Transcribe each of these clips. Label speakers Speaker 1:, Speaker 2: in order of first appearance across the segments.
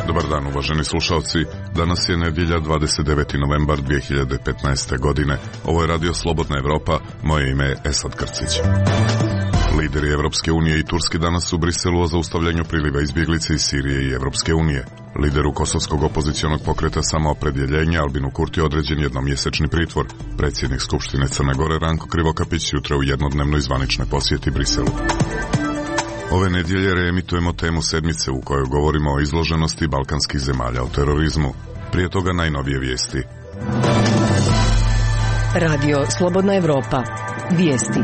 Speaker 1: Dobar dan, uvaženi slušalci. Danas je nedjelja 29. novembar 2015. godine. Ovo je Radio Slobodna Evropa. Moje ime je Esad Krcić. Lideri Evropske unije i Turske danas u Briselu o zaustavljanju priliva izbjeglice iz Sirije i Evropske unije. Lideru kosovskog opozicionog pokreta Samoopredjeljenja Albinu Kurti određen jednomjesečni pritvor. Predsjednik Skupštine Crne Gore Ranko Krivokapić jutra u jednodnevnoj zvaničnoj posjeti Briselu. Ove nedjelje reemitujemo temu sedmice u kojoj govorimo o izloženosti balkanskih zemalja o terorizmu. Prije toga najnovije vijesti.
Speaker 2: Radio Slobodna Evropa. Vijesti.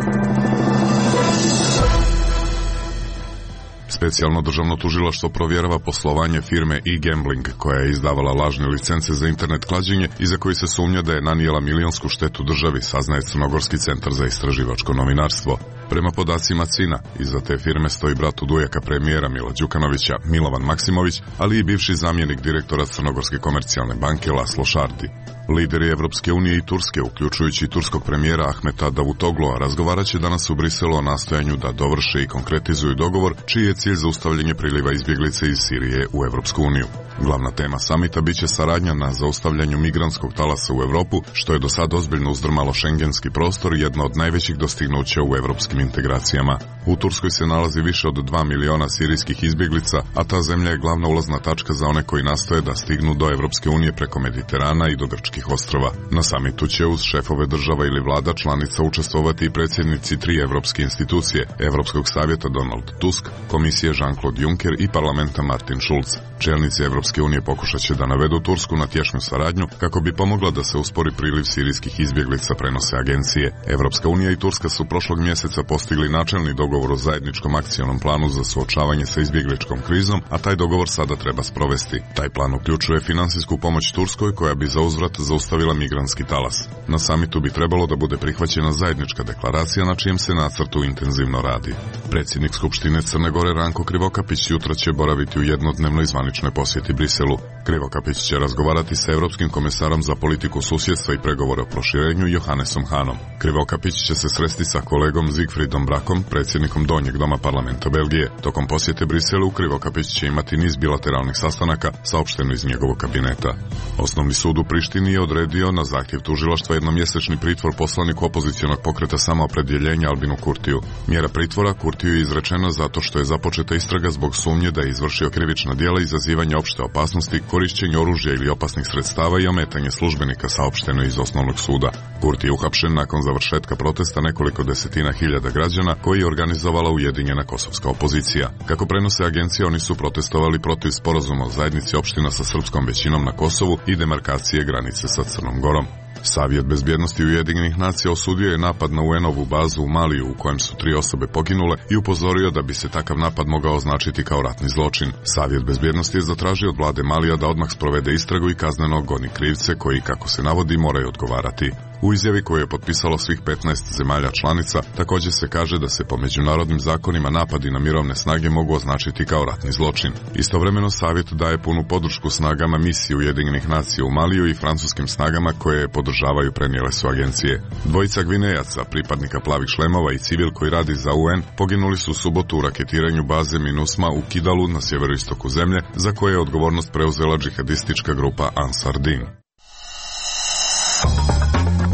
Speaker 1: Specijalno državno tužilaštvo provjerava poslovanje firme e-gambling koja je izdavala lažne licence za internet klađenje i za koji se sumnja da je nanijela milionsku štetu državi, saznaje Crnogorski centar za istraživačko novinarstvo. Prema podacima CINA, iza te firme stoji brat udujaka premijera Mila Đukanovića, Milovan Maksimović, ali i bivši zamjenik direktora Crnogorske komercijalne banke Laslo Šardi. Lideri Evropske unije i Turske, uključujući turskog premijera Ahmeta Davutoglu'a, razgovarat će danas u Briselu o nastojanju da dovrše i konkretizuju dogovor čiji je cilj zaustavljanje priliva izbjeglice iz Sirije u Evropsku uniju. Glavna tema samita biće saradnja na zaustavljanju migrantskog talasa u Europu, što je do sad ozbiljno uzdrmalo šengenski prostor, jedno od najvećih dostignuća u evropskim integracijama. U Turskoj se nalazi više od 2 miliona sirijskih izbjeglica, a ta zemlja je glavna ulazna tačka za one koji nastoje da stignu do Evropske unije preko Mediterana i do grčkih ostrva. Na samitu će uz šefove država ili vlada članica učestvovati i predsjednici 3 evropske institucije, Evropskog savjeta Donald Tusk, Komisije Jean-Claude Juncker i parlamenta Martin Schulz. Čelnici Evropske unije pokušat će da navedu Tursku na tješnju saradnju kako bi pomogla da se uspori priliv sirijskih izbjeglica, prenose agencije. Evropska unija i Turska su prošlog mjeseca postigli načelni dogovor o zajedničkom akcionom planu za suočavanje sa izbjegličkom krizom, a taj dogovor sada treba sprovesti. Taj plan uključuje finansijsku pomoć Turskoj koja bi za uzvrat zaustavila migrantski talas. Na samitu bi trebalo da bude prihvaćena zajednička deklaracija na čijem se nacrtu intenzivno radi. Predsjednik Skupštine Crne Gore Ranko Krivokapić jutra će boraviti u jednodnevnoj zvaničnoj posjeti Briselu. Krivokapić će razgovarati sa Europskim komesarom za politiku susjedstva i pregovore o proširenju Johannesom Hanom. Krivokapić će se sresti sa kolegom Zigfridom Brakom, predsjednikom Donjeg doma parlamenta Belgije. Tokom posjete Briselu Krivokapić će imati niz bilateralnih sastanaka, saopšteno iz njegovog kabineta. Osnovni sud u Prištini je odredio na zahtjev tužilaštva jednomjesečni pritvor poslaniku opozicionog pokreta Samoopredjeljenja Albinu Kurtiju. Mjera pritvora Kurtiju je izrečena zato što je započeta istraga zbog sumnje da je izvršio krivična djela izazivanja opšte opasnosti, korišćenje oružja ili opasnih sredstava i ometanje službenika, saopšteno iz osnovnog suda. Kurti je uhapšen nakon završetka protesta nekoliko desetina hiljada građana koji je organizovala ujedinjena kosovska opozicija. Kako prenose agencije, oni su protestovali protiv sporazuma o zajednici opština sa srpskom većinom na Kosovu i demarkacije granice sa Crnom Gorom. Savjet bezbjednosti Ujedinjenih nacija osudio je napad na UN-ovu bazu u Maliju u kojem su 3 osobe poginule i upozorio da bi se takav napad mogao označiti kao ratni zločin. Savjet bezbjednosti je zatražio od vlade Malija da odmah sprovede istragu i kazneno goni krivce koji, kako se navodi, moraju odgovarati. U izjavi koju je potpisalo svih 15 zemalja članica također se kaže da se po međunarodnim zakonima napadi na mirovne snage mogu označiti kao ratni zločin. Istovremeno savjet daje punu podršku snagama misije Ujedinjenih nacija u Maliju i francuskim snagama koje je podržavaju, prenijele su agencije. Dvojica Gvinejaca, pripadnika plavih šlemova i civil koji radi za UN, poginuli su u subotu u raketiranju baze MINUSMA u Kidalu na sjeveroistoku zemlje, za koje je odgovornost preuzela džihadistička grupa Ansar Din.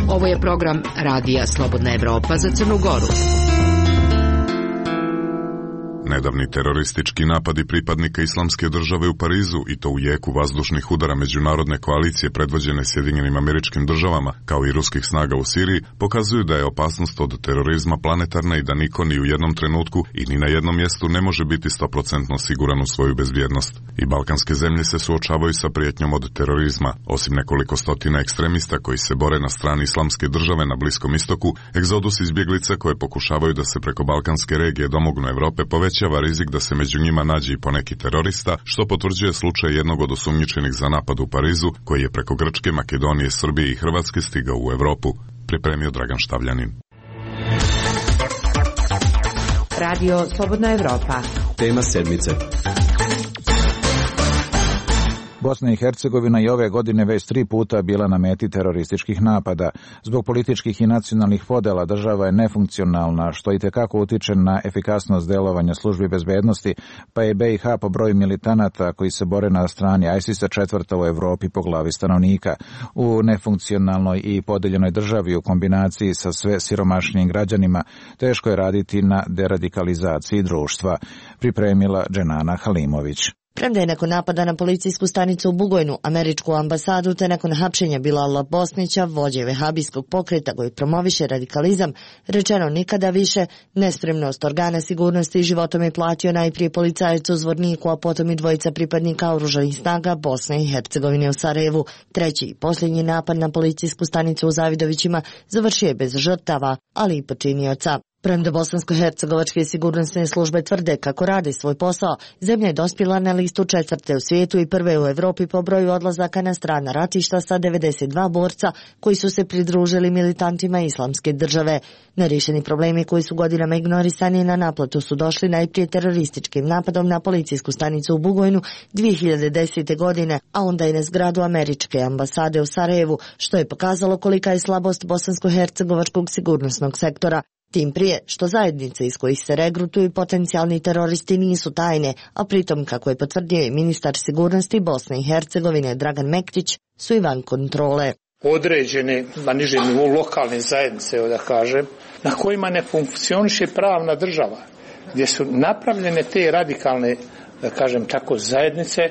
Speaker 2: Ovo je program Radija Slobodna Evropa za Crnu Goru.
Speaker 1: Nedavni teroristički napadi pripadnika Islamske države u Parizu i to u jeku vazdušnih udara međunarodne koalicije predvođene Sjedinjenim Američkim Državama kao i ruskih snaga u Siriji pokazuju da je opasnost od terorizma planetarna i da niko ni u jednom trenutku i ni na jednom mjestu ne može biti 100% siguran u svoju bezbjednost. I balkanske zemlje se suočavaju sa prijetnjom od terorizma. Osim nekoliko stotina ekstremista koji se bore na strani Islamske države na Bliskom istoku, egzodus izbjeglica koje pokušavaju da se preko balkanske regije domognu Europe povećava rizik da se među njima nađe i poneki terorista, što potvrđuje slučaj jednog od osumnjičenih za napad u Parizu, koji je preko Grčke, Makedonije, Srbije i Hrvatske stigao u Europu. Pripremio Dragan Štavljanin.
Speaker 2: Radio Slobodna Evropa.
Speaker 3: Tema sedmice. Bosna i Hercegovina i ove godine već 3 puta bila na meti terorističkih napada. Zbog političkih i nacionalnih podela država je nefunkcionalna, što itekako utiče na efikasnost delovanja službi bezbednosti, pa je BiH po broju militanata koji se bore na strani ISIS-a 4. u Evropi po glavi stanovnika. U nefunkcionalnoj i podeljenoj državi u kombinaciji sa sve siromašnijim građanima teško je raditi na deradikalizaciji društva, pripremila Dženana Halimović.
Speaker 4: Premda je nakon napada na policijsku stanicu u Bugojnu, američku ambasadu, te nakon hapšenja Bilala Bosnića, vođe vehabijskog pokreta koji promoviše radikalizam, rečeno nikada više, nespremnost organa sigurnosti životom je platio najprije policajac u Zvorniku, a potom i dvojica pripadnika oružanih snaga Bosne i Hercegovine u Sarajevu. Treći i posljednji napad na policijsku stanicu u Zavidovićima završio je bez žrtava, ali i počinioca. Premda bosansko-hercegovačke sigurnosne službe tvrde kako rade svoj posao, zemlja je dospjela na listu 4. u svijetu i 1. u Evropi po broju odlazaka na strana ratišta sa 92 borca koji su se pridružili militantima Islamske države. Nerešeni problemi koji su godinama ignorisani na naplatu su došli najprije terorističkim napadom na policijsku stanicu u Bugojnu 2010. godine, a onda i na zgradu američke ambasade u Sarajevu, što je pokazalo kolika je slabost bosansko-hercegovačkog sigurnosnog sektora. Tim prije što zajednice iz kojih se regrutuju potencijalni teroristi nisu tajne, a pritom, kako je potvrdio i ministar sigurnosti Bosne i Hercegovine Dragan Mektić, su i van kontrole.
Speaker 5: Određene, na nižem nivou lokalne zajednice, da kažem, na kojima ne funkcioniše pravna država, gdje su napravljene te radikalne, da kažem tako, zajednice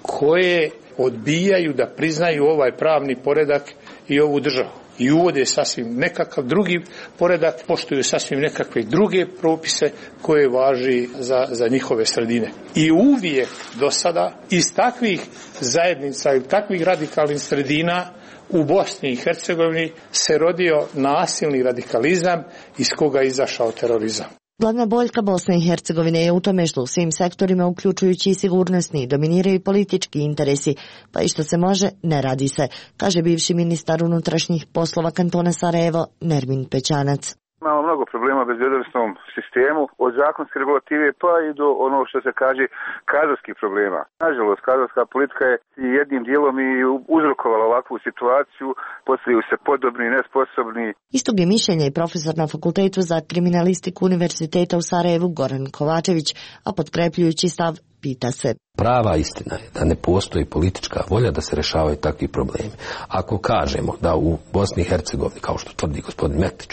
Speaker 5: koje odbijaju da priznaju ovaj pravni poredak i ovu državu. I uvode sasvim nekakav drugi poredak, poštuju sasvim nekakve druge propise koje važi za njihove sredine. I uvijek do sada iz takvih zajednica i takvih radikalnih sredina u Bosni i Hercegovini se rodio nasilni radikalizam iz koga je izašao terorizam.
Speaker 4: Glavna boljka Bosne i Hercegovine je u tome što u svim sektorima, uključujući i sigurnosni, dominiraju politički interesi, pa i što se može, ne radi se, kaže bivši ministar unutrašnjih poslova kantona Sarajevo, Nermin Pećanac.
Speaker 6: Imamo mnogo problema u bezbjednosnom sistemu, od zakonske regulative pa i do ono što se kaže kadrovskih problema. Nažalost, kadrovska politika je jednim dijelom i uzrokovala ovakvu situaciju, postavljaju se podobni, nesposobni.
Speaker 4: Istog je mišljenja i profesor na Fakultetu za kriminalistiku Univerziteta u Sarajevu Goran Kovačević, a potkrepljujući stav pita se.
Speaker 7: Prava istina je da ne postoji politička volja da se rešavaju takvi problemi. Ako kažemo da u Bosni i Hercegovini, kao što tvrdi gospodin Mektić,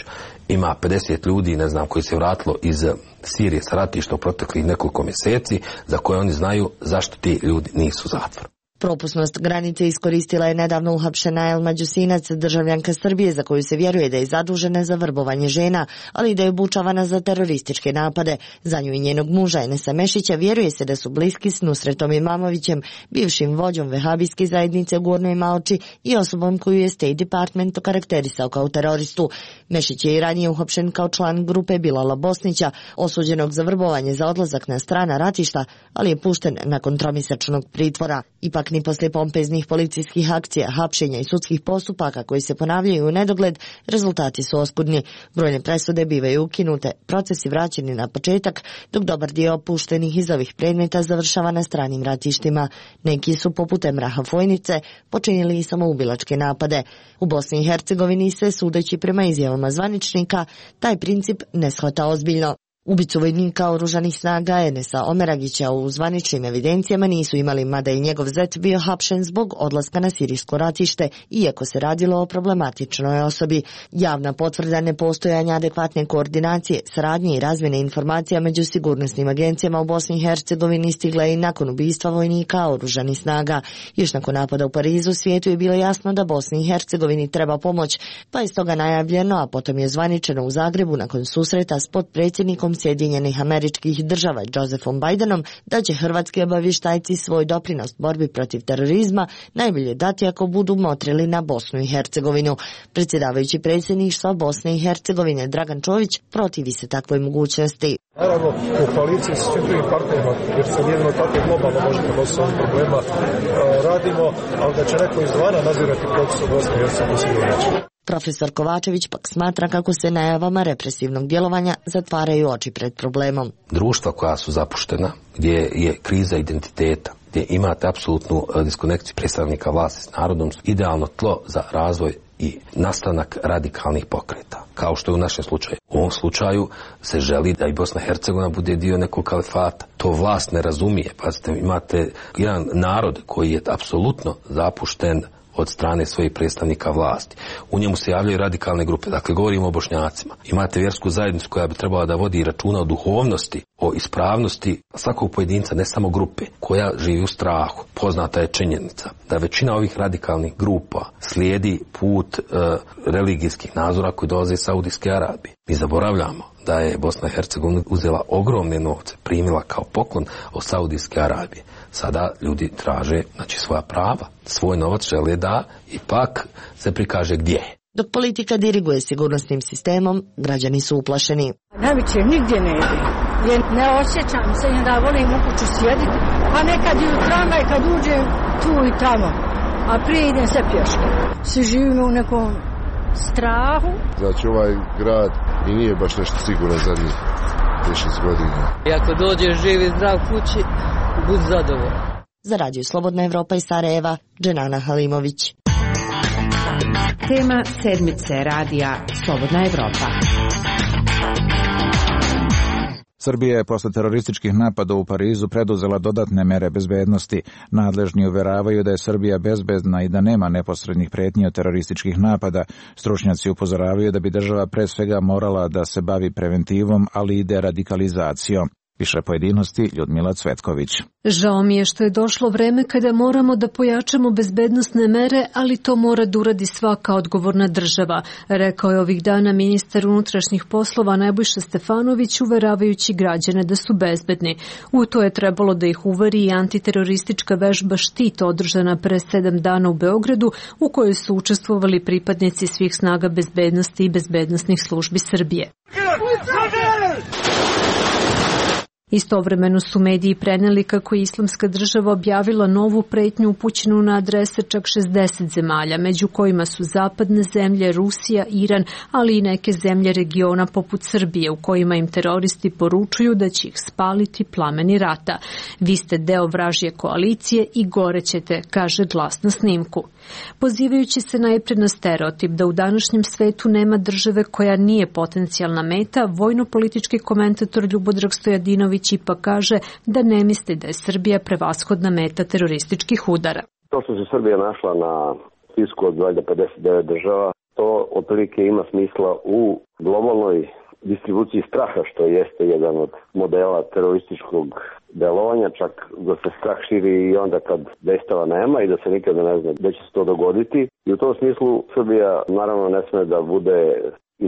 Speaker 7: ima 50 ljudi, ne znam, koji se vratilo iz Sirije sa ratišta u proteklih nekoliko mjeseci, za koje oni znaju zašto ti ljudi nisu u zatvoru.
Speaker 4: Propusnost granice iskoristila je nedavno uhapšena Elma Đusinac, državljanka Srbije, za koju se vjeruje da je zadužena za vrbovanje žena, ali i da je obučavana za terorističke napade. Za nju i njenog muža Enesa Mešića vjeruje se da su bliski s Nusretom Imamovićem, bivšim vođom vehabijske zajednice u Gornjoj Malči i osobom koju je State Department okarakterisao kao teroristu. Mešić je i ranije uhapšen kao član grupe Bilala Bosnića, osuđenog za vrbovanje za odlazak na strana ratišta, ali je pušten nakon tromjesečnog pritvora. Ipak ni poslije pompeznih policijskih akcija, hapšenja i sudskih postupaka koji se ponavljaju u nedogled, rezultati su oskudni. Brojne presude bivaju ukinute, procesi vraćeni na početak, dok dobar dio opuštenih iz ovih predmeta završava na stranim ratištima. Neki su, poput Emraha Fojnice, počinili i samoubilačke napade. U Bosni i Hercegovini se, sudeći prema izjavama zvaničnika, taj princip ne shvata ozbiljno. Ubicu vojnika oružanih snaga Enesa Omeragića u zvaničnim evidencijama nisu imali, mada i njegov zet bio hapšen zbog odlaska na sirijsko ratište, iako se radilo o problematičnoj osobi. Javna potvrda nepostojanja adekvatne koordinacije, saradnje i razmjene informacija među sigurnosnim agencijama u Bosni i Hercegovini stigla je i nakon ubistva vojnika oružanih snaga. Još nakon napada u Parizu svijetu je bilo jasno da Bosni i Hercegovini treba pomoć, pa je stoga najavljeno, a potom je zvaničeno u Zagrebu nakon susreta s potpredsjednikom Sjedinjenih Američkih Država Josephom Bidenom, da će hrvatski obavještajci svoj doprinos borbi protiv terorizma najbolje dati ako budu motrili na Bosnu i Hercegovinu. Predsjedavajući predsjedništva Bosne i Hercegovine Dragan Čović protivi se takvoj mogućnosti.
Speaker 8: Naravno, u koaliciji s svim drugim partnerima, jer se jedino tako globalno možemo nositi ovih problema, radimo, ali da će neko izvana nadzirati proces u Bosni i Hercegovini sigurno.
Speaker 4: Profesor Kovačević pak smatra kako se najavama represivnog djelovanja zatvaraju oči pred problemom.
Speaker 7: Društva koja su zapuštena, gdje je kriza identiteta, gdje imate apsolutnu diskonekciju predstavnika vlasti s narodom, idealno tlo za razvoj i nastanak radikalnih pokreta, kao što je u našem slučaju. U ovom slučaju se želi da i Bosna i Hercegovina bude dio nekog kalifata. To vlast ne razumije. Pazite, imate jedan narod koji je apsolutno zapušten od strane svojih predstavnika vlasti. U njemu se javljaju radikalne grupe, dakle govorimo o Bošnjacima. Imate vjersku zajednicu koja bi trebala da vodi računa o duhovnosti, o ispravnosti svakog pojedinca, ne samo grupe, koja živi u strahu. Poznata je činjenica da većina ovih radikalnih grupa slijedi put religijskih nazora koji dolaze iz Saudijske Arabije. Mi zaboravljamo da je Bosna i Hercegovina uzela ogromne novce, primila kao poklon od Saudijske Arabije. Sada ljudi traže, znači, svoja prava, svoj novac žele da ipak se prikaže gdje je.
Speaker 4: Dok politika diriguje sigurnosnim sistemom, građani su uplašeni.
Speaker 9: Najveće nigdje ne ide, jer ne osjećam se i da volim u kuću sjediti, a nekad i u tramvaj kad uđem tu i tamo, a prije idem sve pješke. Svi živimo u nekom strahu.
Speaker 10: Znači ovaj grad i nije baš nešto sigurno zadnjih 6 godina.
Speaker 11: I ako dođeš živ i zdrav kući, budi zadovoljan.
Speaker 4: Za Radio Slobodna Evropa iz Sarajeva, Dženana Halimović.
Speaker 2: Tema sedmice radija Slobodna Evropa.
Speaker 3: Srbija je posle terorističkih napada u Parizu preduzela dodatne mere bezbednosti. Nadležni uveravaju da je Srbija bezbedna i da nema neposrednih pretnji od terorističkih napada. Stručnjaci upozoravaju da bi država pre svega morala da se bavi preventivom, ali i deradikalizacijom. Više pojedinosti Ljudmila Cvetković.
Speaker 12: Žao mi je što je došlo vreme kada moramo da pojačamo bezbednosne mere, ali to mora da uradi svaka odgovorna država, rekao je ovih dana ministar unutrašnjih poslova Nebojša Stefanović, uveravajući građane da su bezbedni. U to je trebalo da ih uveri i antiteroristička vežba Štit održana pre 7 dana u Beogradu, u kojoj su učestvovali pripadnici svih snaga bezbednosti i bezbednosnih službi Srbije. Istovremeno su mediji preneli kako je Islamska država objavila novu pretnju upućenu na adrese čak 60 zemalja, među kojima su zapadne zemlje, Rusija, Iran, ali i neke zemlje regiona poput Srbije, u kojima im teroristi poručuju da će ih spaliti plameni rata. Vi ste deo vražje koalicije i gorećete, kaže glas na snimku. Pozivajući se najpre na stereotip da u današnjem svetu nema države koja nije potencijalna meta, vojno-politički komentator Ljubodrag Stojadinović ipak kaže da ne misli da je Srbija prevashodna meta terorističkih udara.
Speaker 13: To što se Srbija našla na spisku od 59 država, to otprilike ima smisla u globalnoj distribuciji straha, što jeste jedan od modela terorističkog delovanja, čak da se strah širi i onda kad dejstava nema i da se nikada ne zna da će se to dogoditi. I u tom smislu Srbija naravno ne sme da bude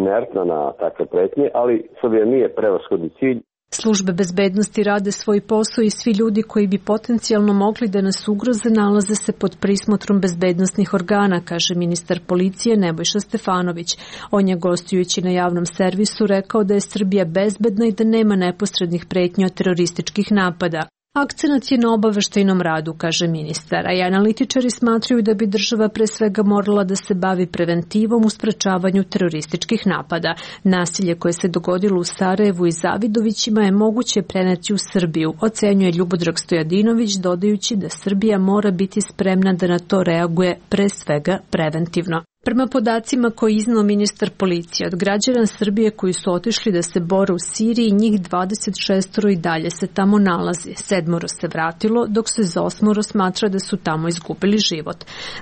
Speaker 13: inertna na takve pretnje, ali Srbija nije prevashodni cilj.
Speaker 12: Službe bezbednosti rade svoj posao i svi ljudi koji bi potencijalno mogli da nas ugroze nalaze se pod prismotrom bezbednosnih organa, kaže ministar policije Nebojša Stefanović. On je gostujući na javnom servisu rekao da je Srbija bezbedna i da nema neposrednih pretnji od terorističkih napada. Akcenat je na obaveštajnom radu, kaže ministar, a i analitičari smatraju da bi država pre svega morala da se bavi preventivom u sprečavanju terorističkih napada. Nasilje koje se dogodilo u Sarajevu i Zavidovićima je moguće preneti u Srbiju, ocenjuje Ljubodrag Stojadinović, dodajući da Srbija mora biti spremna da na to reaguje pre svega preventivno. Prema podacima koje iznao ministar policije, od građana Srbije koji su otišli da se bore u Siriji, njih 26 i dalje se tamo nalazi. 7 se vratilo, dok se za 8 smatra da su tamo izgubili život.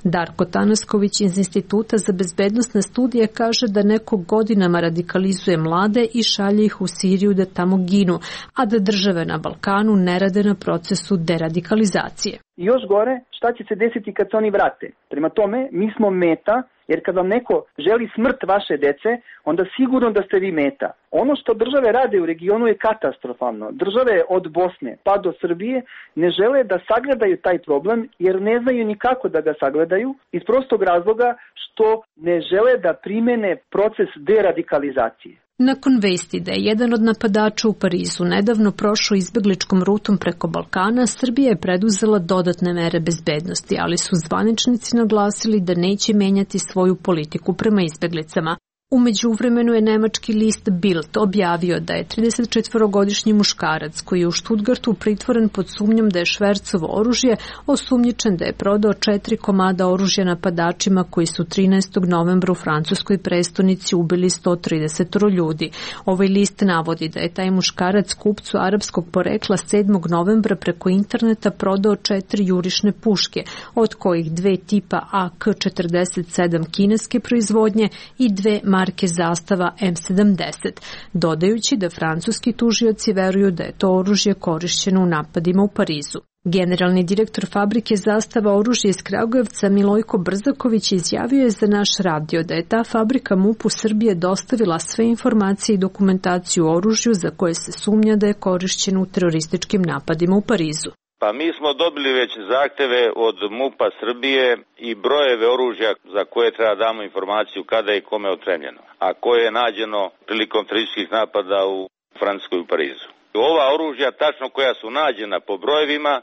Speaker 12: Darko Tanasković iz Instituta za bezbednosne studije kaže da neko godinama radikalizuje mlade i šalje ih u Siriju da tamo ginu, a da države na Balkanu ne rade na procesu deradikalizacije.
Speaker 14: I još gore, šta će se desiti kad se oni vrate? Prema tome, mi smo meta, jer kad vam neko želi smrt vaše dece, onda sigurno da ste vi meta. Ono što države rade u regionu je katastrofalno. Države od Bosne pa do Srbije ne žele da sagledaju taj problem, jer ne znaju ni kako da ga sagledaju, iz prostog razloga što ne žele da primene proces deradikalizacije.
Speaker 12: Nakon vesti da je jedan od napadača u Parizu nedavno prošao izbegličkom rutom preko Balkana, Srbija je preduzela dodatne mere bezbednosti, ali su zvaničnici naglasili da neće menjati svoju politiku prema izbeglicama. U međuvremenu je nemački list Bild objavio da je 34-godišnji muškarac koji je u Stuttgartu pritvoren pod sumnjom da je švercovo oružje osumnjičen da je prodao 4 komada oružja napadačima koji su 13. novembra u francuskoj prestonici ubili 130 ljudi. Ovaj list navodi da je taj muškarac kupcu arapskog porekla 7. novembra preko interneta prodao 4 jurišne puške, od kojih 2 tipa AK-47 kineske proizvodnje i 2 marke zastava M70, dodajući da francuski tužioci veruju da je to oružje korišćeno u napadima u Parizu. Generalni direktor fabrike zastava oružja iz Kragujevca Milojko Brzaković izjavio je za naš radio da je ta fabrika MUP-u Srbije dostavila sve informacije i dokumentaciju o oružju za koje se sumnja da je korišćeno u terorističkim napadima u Parizu.
Speaker 15: Pa mi smo dobili već zahteve od MUP-a Srbije i brojeve oružja za koje treba damo informaciju kada je i kome otremljeno, a koje je nađeno prilikom terorističkih napada u Francuskoj u Parizu. Ova oružja, tačno koja su nađena po brojevima,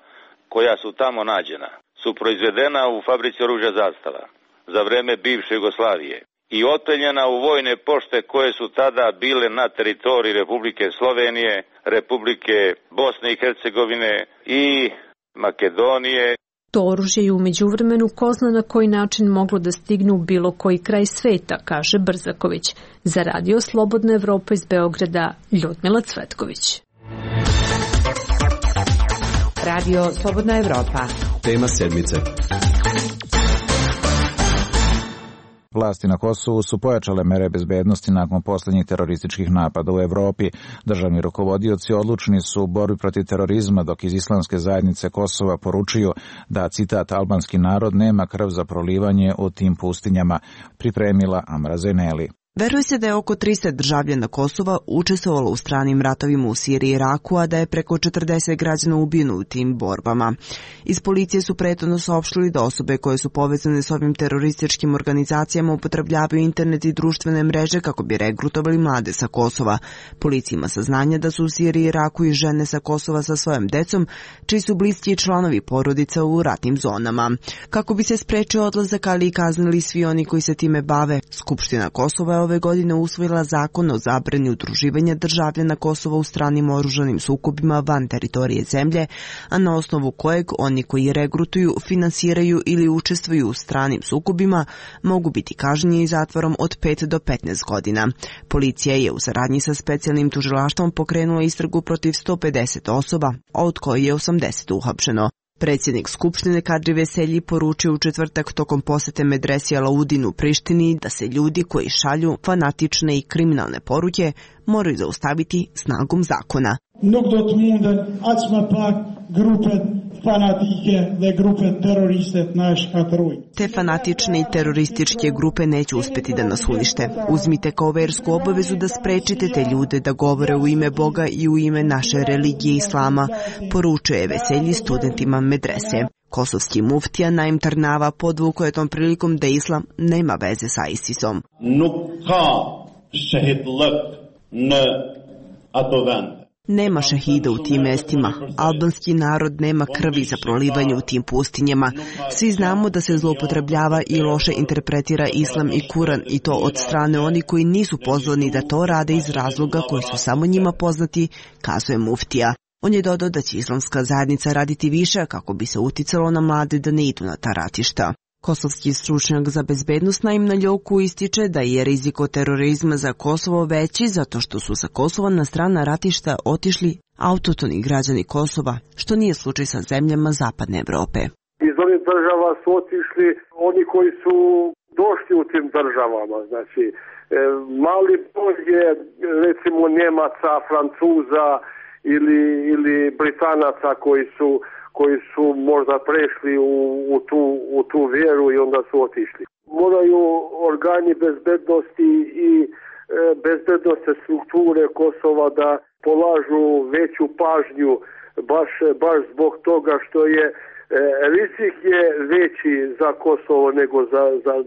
Speaker 15: koja su tamo nađena, su proizvedena u fabrici oružja Zastava za vreme bivše Jugoslavije i otpeljena u vojne pošte koje su tada bile na teritoriji Republike Slovenije, Republike Bosne i Hercegovine i Makedonije.
Speaker 12: To oružje je u međuvremenu ko zna na koji način moglo da stigne u bilo koji kraj sveta, kaže Brzaković. Za Radio Slobodna Evropa iz Beograda, Ljudmila Cvetković.
Speaker 2: Radio Slobodna Evropa.
Speaker 16: Tema sedmice.
Speaker 3: Vlasti na Kosovu su pojačale mere bezbednosti nakon poslednjih terorističkih napada u Evropi. Državni rukovodioci odlučni su u borbi protiv terorizma, dok iz Islamske zajednice Kosova poručuju da, citat, albanski narod nema krv za prolivanje u tim pustinjama, pripremila Amra Zeneli.
Speaker 17: Veruje se da je oko 300 državljana Kosova učestvovalo u stranim ratovima u Siriji i Iraku, a da je preko 40 građana ubijeno u tim borbama. Iz policije su prethodno saopštili da osobe koje su povezane s ovim terorističkim organizacijama upotrebljavaju internet i društvene mreže kako bi regrutovali mlade sa Kosova. Policija ima saznanja da su u Siriji i Iraku i žene sa Kosova sa svojom decom, čiji su bliski članovi porodica u ratnim zonama. Kako bi se sprečio odlazak, ali i kaznili svi oni koji se time bave, Skupština Kosova je ove godine usvojila zakon o zabrani udruživanja državljana Kosova u stranim oružanim sukobima van teritorije zemlje, a na osnovu kojeg oni koji regrutuju, finansiraju ili učestvuju u stranim sukobima mogu biti kažnjeni zatvorom od 5 do 15 godina. Policija je u saradnji sa specijalnim tužilaštvom pokrenula istragu protiv 150 osoba, a od koje je 80 uhapšeno. Predsjednik Skupštine Kadri Veselji poručio u četvrtak tokom posete medresi Alaudin u Prištini da se ljudi koji šalju fanatične i kriminalne poruke moraju zaustaviti snagom zakona. Te fanatične i terorističke grupe neće uspjeti da nas unište. Uzmite kao versku obavezu da sprečite te ljude da govore u ime Boga i u ime naše religije Islama, poručuje Veselji studentima medrese. Kosovski muftija Naim Tarnava podvukao je tom prilikom da Islam nema veze sa ISIS-om. Nema šehida u tim mestima, albanski narod nema krvi za prolivanje u tim pustinjama. Svi znamo da se zloupotrebljava i loše interpretira Islam i Kuran, i to od strane oni koji nisu pozvani da to rade iz razloga koji su samo njima poznati, kazuje muftija. On je dodao da će islamska zajednica raditi više kako bi se uticalo na mlade da ne idu na ta ratišta. Kosovski stručnjak za bezbednost Naim Naljoku ističe da je rizik od terorizma za Kosovo veći zato što su sa Kosova na strana ratišta otišli autohtoni građani Kosova, što nije slučaj sa zemljama Zapadne Evrope.
Speaker 18: Iz ovih država su otišli oni koji su došli u tim državama, znači mali broj je recimo Njemaca, Francuza ili Britanaca koji su možda prešli u tu vjeru i onda su otišli. Moraju organi bezbednosti i bezbednostne strukture Kosova da polažu veću pažnju baš zbog toga što je rizik je veći za Kosovo nego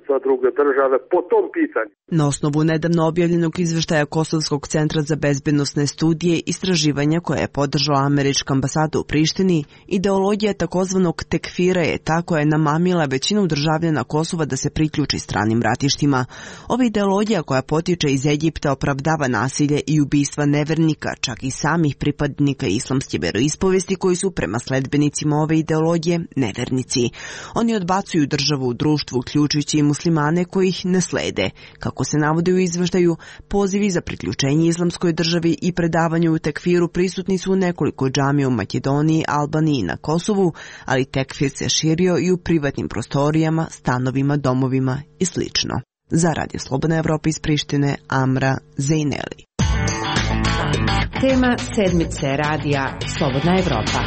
Speaker 18: za druge države po tom pitanju.
Speaker 17: Na osnovu nedavno objavljenog izveštaja Kosovskog centra za bezbednosne studije istraživanja koje je podržala američka ambasada u Prištini, ideologija takozvanog tekfira je ta koja je namamila većinu državljana Kosova da se priključi stranim ratištima. Ova ideologija koja potiče iz Egipta opravdava nasilje i ubistva nevernika, čak i samih pripadnika islamske veroispovesti koji su prema sledbenicima ove ideologije nevernici. Oni odbacuju državu u društvu, uključujući i muslimane koji ih ne slede. Kako se navodi u izveštaju, pozivi za priključenje islamskoj državi i predavanju u tekfiru prisutni su u nekoliko džamija u Makedoniji, Albaniji i na Kosovu, ali tekfir se širio i u privatnim prostorijama, stanovima, domovima i sl. Za Radio Slobodna Evropa iz Prištine, Amra Zejneli.
Speaker 2: Tema sedmice radija Slobodna Evropa.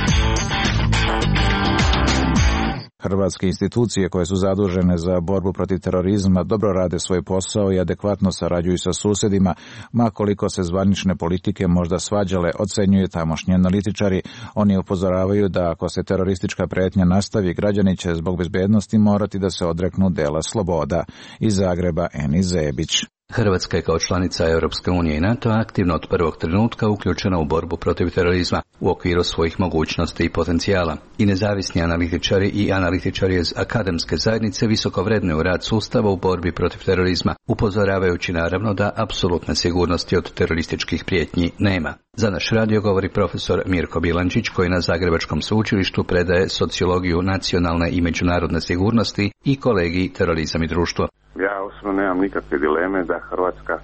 Speaker 3: Hrvatske institucije koje su zadužene za borbu protiv terorizma dobro rade svoj posao i adekvatno sarađuju sa susjedima, ma koliko se zvanične politike možda svađale, ocenjuju tamošnji analitičari. Oni upozoravaju da ako se teroristička pretnja nastavi, građani će zbog bezbednosti morati da se odreknu dela sloboda. Iz Zagreba, Enis Zebić.
Speaker 16: Hrvatska je kao članica Europske unije i NATO aktivno od prvog trenutka uključena u borbu protiv terorizma u okviru svojih mogućnosti i potencijala. I nezavisni analitičari i analitičari iz akademske zajednice visoko vrednuju rad sustava u borbi protiv terorizma, upozoravajući naravno da apsolutne sigurnosti od terorističkih prijetnji nema. Za naš radio govori profesor Mirko Bilančić koji na Zagrebačkom sveučilištu predaje sociologiju nacionalne i međunarodne sigurnosti i kolegij terorizam i društvo.
Speaker 19: Ja osobno nemam nikakve dileme da Hrvatska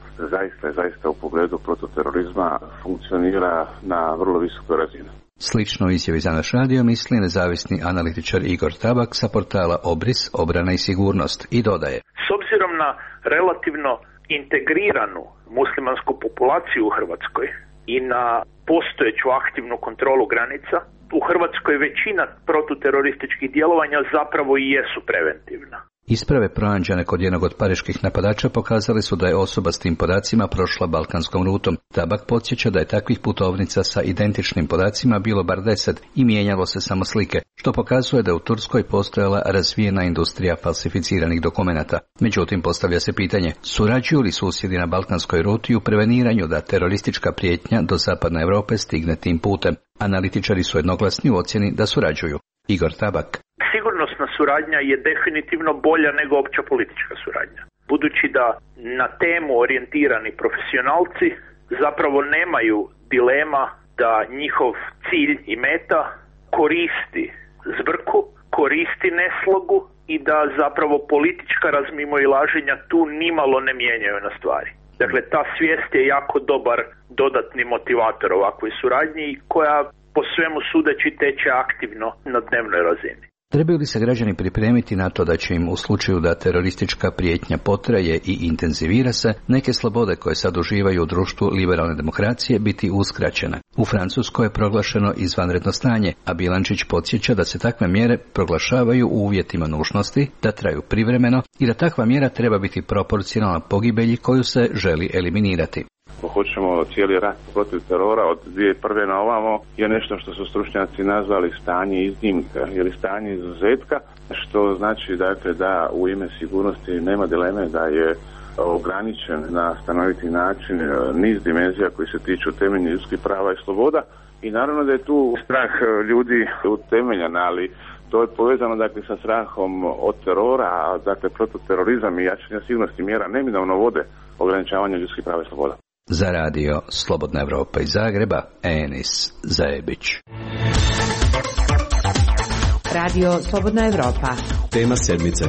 Speaker 19: zaista u pogledu protiv terorizma funkcionira na vrlo visokoj razini.
Speaker 16: Slično izjavi za naš radio misli nezavisni analitičar Igor Tabak sa portala Obris, obrana i sigurnost i dodaje.
Speaker 20: S obzirom na relativno integriranu muslimansku populaciju u Hrvatskoj i na postojeću aktivnu kontrolu granica, u Hrvatskoj većina protuterorističkih djelovanja zapravo i jesu preventivna.
Speaker 16: Isprave pronađene kod jednog od pariških napadača pokazali su da je osoba s tim podacima prošla balkanskom rutom. Tabak podsjeća da je takvih putovnica sa identičnim podacima bilo bar 10 i mijenjalo se samo slike, što pokazuje da je u Turskoj postojala razvijena industrija falsificiranih dokumenata. Međutim, postavlja se pitanje, surađuju li susjedi na balkanskoj ruti u preveniranju da teroristička prijetnja do zapadne Europe stigne tim putem? Analitičari su jednoglasni u ocjeni da surađuju. Igor Tabak.
Speaker 20: Sigurnosna suradnja je definitivno bolja nego opća politička suradnja. Budući da na temu orijentirani profesionalci zapravo nemaju dilema da njihov cilj i meta koristi zbrku, koristi neslogu i da zapravo politička razmimoilaženja tu nimalo ne mijenjaju na stvari. Dakle, ta svijest je jako dobar dodatni motivator ovakvoj suradnji koja po svemu sudeći teče aktivno na dnevnoj razini.
Speaker 16: Trebaju li se građani pripremiti na to da će im u slučaju da teroristička prijetnja potraje i intenzivira se, neke slobode koje sad uživaju u društvu liberalne demokracije biti uskraćene? U Francuskoj je proglašeno izvanredno stanje, a Bilančić podsjeća da se takve mjere proglašavaju u uvjetima nužnosti, da traju privremeno i da takva mjera treba biti proporcionalna pogibelji koju se želi eliminirati.
Speaker 19: Ako hoćemo cijeli rat protiv terora od 2001. na ovamo je nešto što su stručnjaci nazvali stanje iznimka ili stanje izuzetka, što znači dakle, da u ime sigurnosti nema dileme da je ograničen na stanoviti način niz dimenzija koji se tiču temeljnih ljudskih prava i sloboda i naravno da je tu strah ljudi utemeljan, ali to je povezano dakle sa strahom od terora, a dakle protuterorizam i jačanje sigurnosti mjera neminovno vode ograničavanje ljudskih prava i sloboda.
Speaker 16: Za radio Slobodna Evropa iz Zagreba, Enis Zebić.
Speaker 2: Radio Slobodna Evropa.
Speaker 21: Tema sedmice.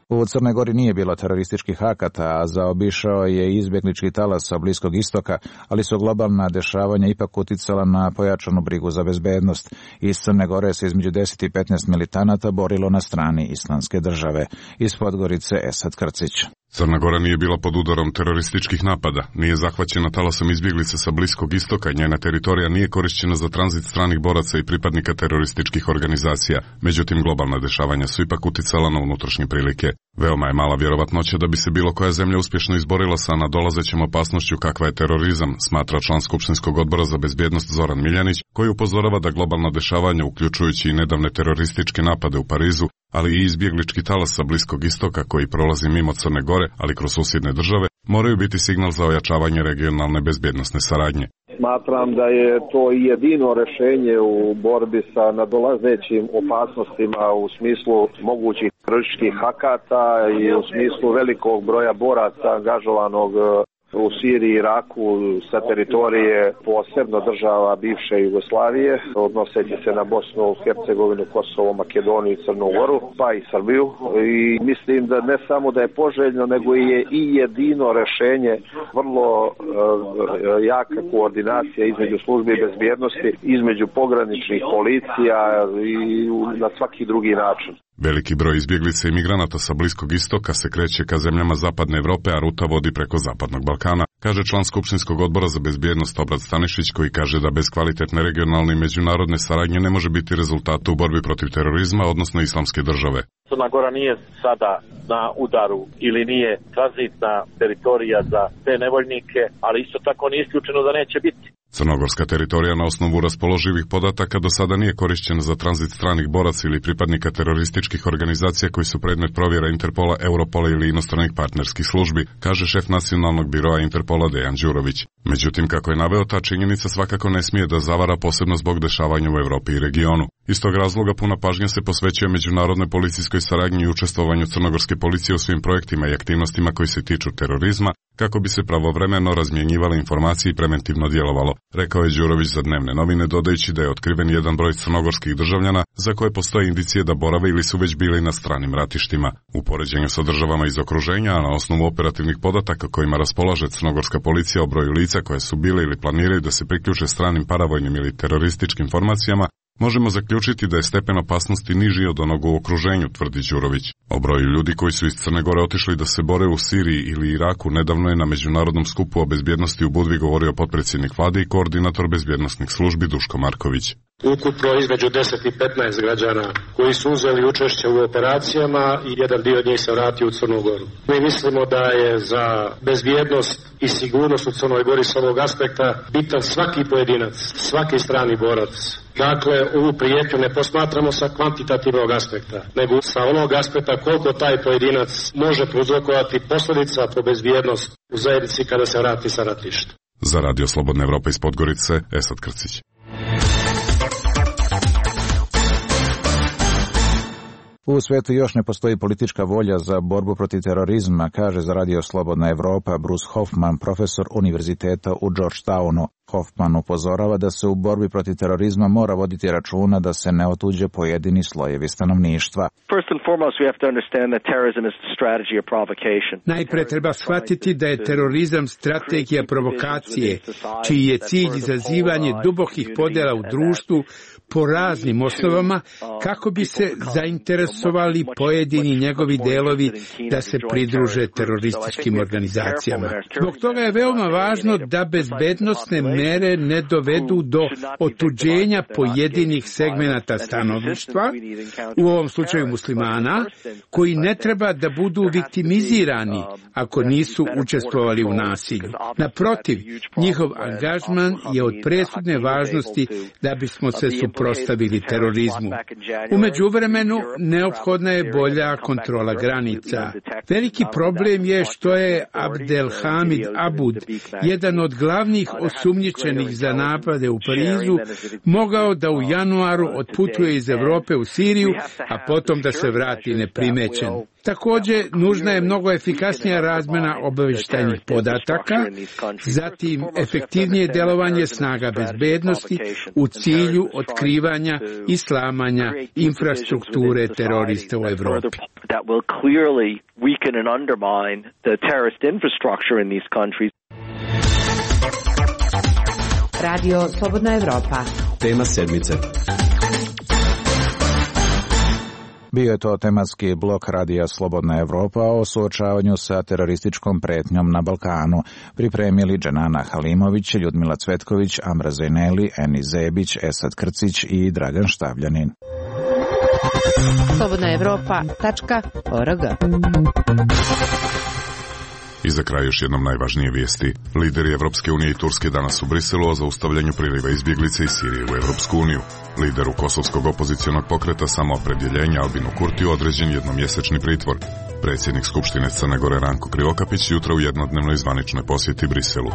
Speaker 3: U Crnoj Gori nije bilo terorističkih akata, a zaobišao je izbjeglički talas sa Bliskog istoka, ali su globalna dešavanja ipak uticala na pojačanu brigu za bezbednost. Iz Crne Gore se između 10 i 15 militanata borilo na strani Islamske države. Iz Podgorice Esad Krcić.
Speaker 1: Crna Gora nije bila pod udarom terorističkih napada, nije zahvaćena talasom izbjeglica sa Bliskog istoka, njena teritorija nije korišćena za tranzit stranih boraca i pripadnika terorističkih organizacija. Međutim, globalna dešavanja su ipak uticala na unutrašnje prilike. Veoma je mala vjerovatnoća da bi se bilo koja zemlja uspješno izborila sa nadolazećom opasnošću kakva je terorizam, smatra član Skupštinskog odbora za bezbjednost Zoran Miljanić, koji upozorava da globalna dešavanja, uključujući i nedavne terorističke napade u Parizu, ali i izbjeglički talas sa Bliskog istoka koji prolazi mimo Crne Gore, ali kroz susjedne države, moraju biti signal za ojačavanje regionalne bezbjednosne saradnje.
Speaker 21: Smatram da je to jedino rješenje u borbi sa nadolazećim opasnostima u smislu mogućih terorističkih akata i u smislu velikog broja boraca angažovanog u Siriji i Iraku sa teritorije posebno država bivše Jugoslavije, odnoseći se na Bosnu, Hercegovinu, Kosovo, Makedoniju i Crnu Goru, pa i Srbiju. I mislim da ne samo da je poželjno, nego je i jedino rješenje vrlo jaka koordinacija između službi bezbjednosti, između pograničnih policija i na svaki drugi način.
Speaker 1: Veliki broj izbjeglica i migranata sa Bliskog istoka se kreće ka zemljama Zapadne Evrope, a ruta vodi preko Zapadnog Balkana, kaže član Skupštinskog odbora za bezbjednost Obrad Stanišić, koji kaže da bez kvalitetne regionalne i međunarodne saradnje ne može biti rezultata u borbi protiv terorizma, odnosno islamske države.
Speaker 22: Crna Gora nije sada na udaru ili nije tranzitna teritorija za te nevoljnike, ali isto tako nije isključeno da neće biti.
Speaker 1: Crnogorska teritorija na osnovu raspoloživih podataka do sada nije korišćena za tranzit stranih boraca ili pripadnika terorističkih organizacija koji su predmet provjera Interpola, Europola ili inostranih partnerskih službi, kaže šef nacionalnog biroa Interpola Dejan Đurović. Međutim, kako je naveo, ta činjenica svakako ne smije da zavara, posebno zbog dešavanja u Evropi i regionu. Iz tog razloga puna pažnja se posvećuje međunarodnoj policijskoj saradnji i učestvovanju crnogorske policije u svim projektima i aktivnostima koji se tiču terorizma, kako bi se pravovremeno razmjenjivale informacije i preventivno djelovalo, rekao je Đurović za Dnevne novine, dodajući da je otkriven jedan broj crnogorskih državljana za koje postoje indicije da borave ili su već bili na stranim ratištima. U poređenju sa državama iz okruženja, a na osnovu operativnih podataka kojima raspolaže crnogorska policija o broju lica koje su bile ili planiraju da se priključe stranim paravojnim ili terorističkim formacijama, možemo zaključiti da je stepen opasnosti niži od onog u okruženju, tvrdi Đurović. O broju ljudi koji su iz Crne Gore otišli da se bore u Siriji ili Iraku nedavno je na međunarodnom skupu o bezbjednosti u Budvi govorio potpredsjednik vlade i koordinator bezbjednosnih službi Duško Marković.
Speaker 23: Ukupno između 10 i 15 građana koji su uzeli učešće u operacijama i jedan dio njih se vratio u Crnu Goru. Mi mislimo da je za bezbjednost i sigurnost u Crnoj Gori s ovog aspekta bitan svaki pojedinac, svaki strani borac. Dakle, ovu prijetnju ne posmatramo sa kvantitativnog aspekta, nego sa onog aspekta koliko taj pojedinac može prouzrokovati posljedica po bezbjednost u zajednici kada se vrati sa ratišta.
Speaker 1: Za Radio Slobodna Evropa iz Podgorice, Esad Krcić.
Speaker 3: U svijetu još ne postoji politička volja za borbu protiv terorizma, kaže za Radio Slobodna Evropa Bruce Hoffman, profesor univerziteta u Georgetownu. Hoffman upozorava da se u borbi protiv terorizma mora voditi računa da se ne otuđe pojedini slojevi stanovništva.
Speaker 24: Najprije treba shvatiti da je terorizam strategija provokacije, čiji je cilj izazivanje dubokih podjela u društvu po raznim osnovama, kako bi se zainteresovali pojedini njegovi delovi da se pridruže terorističkim organizacijama. Zbog toga je veoma važno da bezbednosne mere ne dovedu do otuđenja pojedinih segmenata stanovništva, u ovom slučaju muslimana, koji ne treba da budu viktimizirani ako nisu učestvovali u nasilju. Naprotiv, njihov angažman je od presudne važnosti da bismo se suprotstavili terorizmu. U međuvremenu neophodna je bolja kontrola granica. Veliki problem je što je Abdelhamid Abud, jedan od glavnih osumnjičenih za napade u Parizu, mogao da u januaru otputuje iz Europe u Siriju, a potom da se vrati neprimećen. Također, nužna je mnogo efikasnija razmjena obavještajnih podataka, zatim efektivnije djelovanje snaga bezbednosti u cilju otkrivanja i slamanja infrastrukture terorista u Europi.
Speaker 2: Radio Slobodna Evropa.
Speaker 25: Tema sedmice.
Speaker 3: Bio je to tematski blok Radija Slobodna Evropa o suočavanju sa terorističkom pretnjom na Balkanu. Pripremili Dženana Halimović, Ljudmila Cvetković, Amra Zajneli, Eni Zebić, Esad Krcić i Dragan Štavljanin.
Speaker 2: slobodnaevropa.org.
Speaker 1: I za kraj još jednom najvažnije vijesti. Lideri Evropske unije i Turske danas u Briselu o zaustavljanju priliva izbjeglice iz Sirije u Evropsku uniju. Lideru kosovskog opozicionog pokreta Samoopredjeljenja Albinu Kurtiju određen jednomjesečni pritvor. Predsjednik Skupštine Crne Gore Ranko Krivokapić jutra u jednodnevnoj zvaničnoj posjeti Briselu.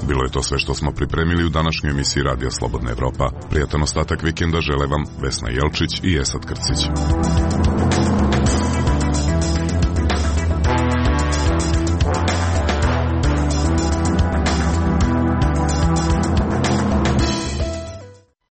Speaker 1: Bilo je to sve što smo pripremili u današnjoj emisiji Radija Slobodna Evropa. Prijatan ostatak vikenda žele vam Vesna Jelčić i Esad Krcić.